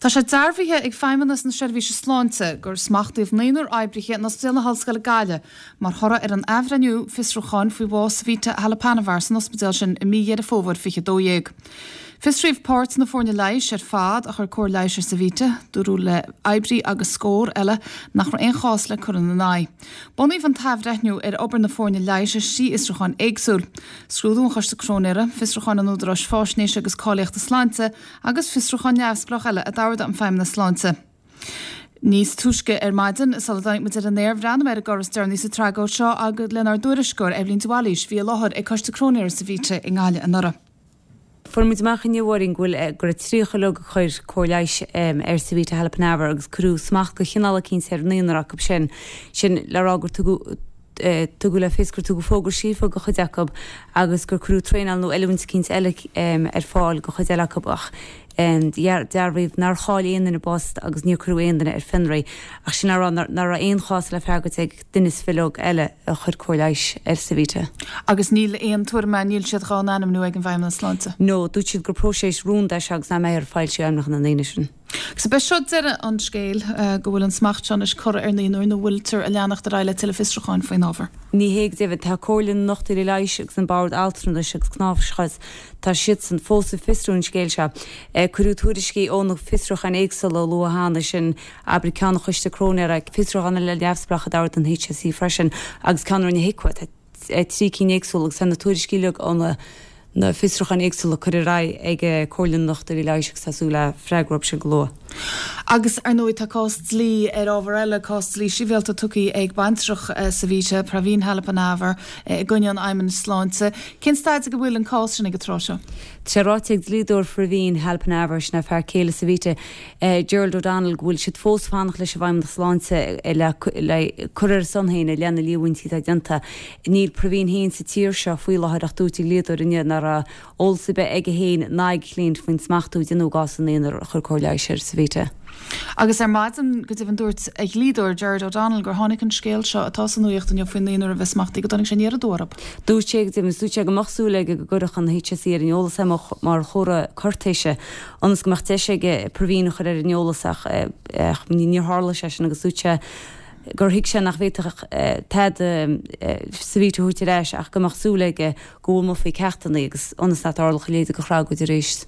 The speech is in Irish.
Tá sé dearbhaithe ag Feidhmeannas na Seirbhíse Sláinte gur smachtaíodh naonúr oibrithe in Ospidéal na hOllscoile Gaillimh mar thoradh ar an athbhreithniú fiosrúcháin faoi bhás Savita Halappanavar san ospidéal sin i mí Dheireadh Fómhair 2012. Fiosraíodh páirt na foirne leighis ar fad a chuir cóir leighis ar Savita, dúradh le oibrí agus scór eile nach raibh aon chás le cur ina n-aghaidh. Bunaíodh an t-athbhreithniú ar obair na foirne leighis ar thrí fhiosrúchán éagsúil, scrúdú an Choiste Cróinéara, fiosrúchán an Údaráis Faisnéise agus Cáilíochta Sláinte agus fiosrúchán neamhspleách eile a d'ordaigh an Feidhmeannas Sláinte. Níos túisce ar maidin, sula dtáinig muid ar an aer, bhreathnaigh mé ar an gcor is deireanaí sa tragóid seo agus lenár dtuairisceoir, Eibhlín de Bhailís, a bhí i láthair ag Coiste Cróinéara Savita i nGaillimh anuraidh. Fuair muid amach inniu, a Mháirín, go bhfuil, go raibh 30 uileag a chuir cóir leighis ar Savita Halappanavar agus cuireadh smacht de chineál eicínt ar naonúr acu sin. Sin le rá gur tugadh, tugadh le fios gur tugadh fógra scríofa do chuid acu agus gur cuireadh traenáil nó oiliúint eicínt eile ar fáil do chuid eile acu ach dearbhaíodh nár chaill aon duine a bpost agus níor cuireadh aon duine ar fionraí ach sin le rá nach raibh aon chás le freagairt ag duine sa bhileog eile a chuir cóir leighis ar Savita. Agus níl aon tuairim ann, níl siad dhá n-ainmniú ag an bhFeidhmeannas Sláinte? No, dúirt siad gur próiseas rúnda é seo agus nach mbeifear ag foilsiú ainmneacha na ndaoine sin. Agus ab é seo deireadh an scéil, go bhfuil an smacht seo anois curtha ar naonúr nó bhfuiltear ag leanacht ar aghaidh le tuilleadh fiosrúcháin faoin ábhar? Ní hé go deimhin. Tá Comhairle na nDochtúirí Leighis agus an Bord Altranais agus Cnáimhseachais, tá siadsan fós ag fiosrú an scéil seo. Cuireadh tuairiscí ó na fiosrúcháin éagsúla a luadh cheana, sin abair ceann an Choiste Cróinéara, fiosrúchán eile neamhspleách a d'ordaigh an HSE freisin agus ceann a rinne HIQA. Tá 3 cinn éagsúla agus tá na tuairiscí uilig ó na na fiosrúcháin éagsúla curtha ar aghaidh ag Comhairle na nDochtúirí Leighis agus tá súil le freagra uathu sin go luath. Agus, ar ndóigh, tá cás dlí ar ábhar eile, cás dlí sibhialta tugtha ag baintreach Savita, Praveen Halappanavar, i gcoinne an Fheidhmeannais Sláinte. Cén staid ag a bhfuil an cás sin ag an tráth seo? Tá sé ráite ag dlíodóir Phraveen Halappanavar, sin é fear céile Savita, Gerald O'Donnell, go bhfuil siad fós ag fanacht leis an bhFeidhmeannas Sláinte le cur ar a son féin i leith na líomhaintí atá déanta. Níl Praveen féin sa tír seo faoi láthair ach dúirt a dhlíodóir inniu nach raibh eolas ar bith aige féin ná ag a chliaint faoin smachtú a déanadh i gcás an naonúir a chuir cóir leighis ar Savita. Agus ar maidin, go deimhin, dúirt a dhlíodóir, Gerard O'Donnell, gur tháinig an scéal seo atá sa nuaíocht inniu faoin naonúr a bheith smachtaithe, go dtáinig sé aniar aduaidh orthu. Dúirt sé, go deimhin, dúirt sé go mbeadh súil aige go gcuirfeadh an HSE ar an eolas é mar chomhartha cúirtéise ionas go mbeadh deis aige Praveen a chur ar an eolas ach níor tharla sé sin agus dúirt sé gur thuig sé nach bhféadfadh tada Savita a thabhairt ar ais ach go mbeadh súil aige go bhfoghlaimeofaí ceachtanna agus ionas nach dtarlódh a leithéid de thragóid arís.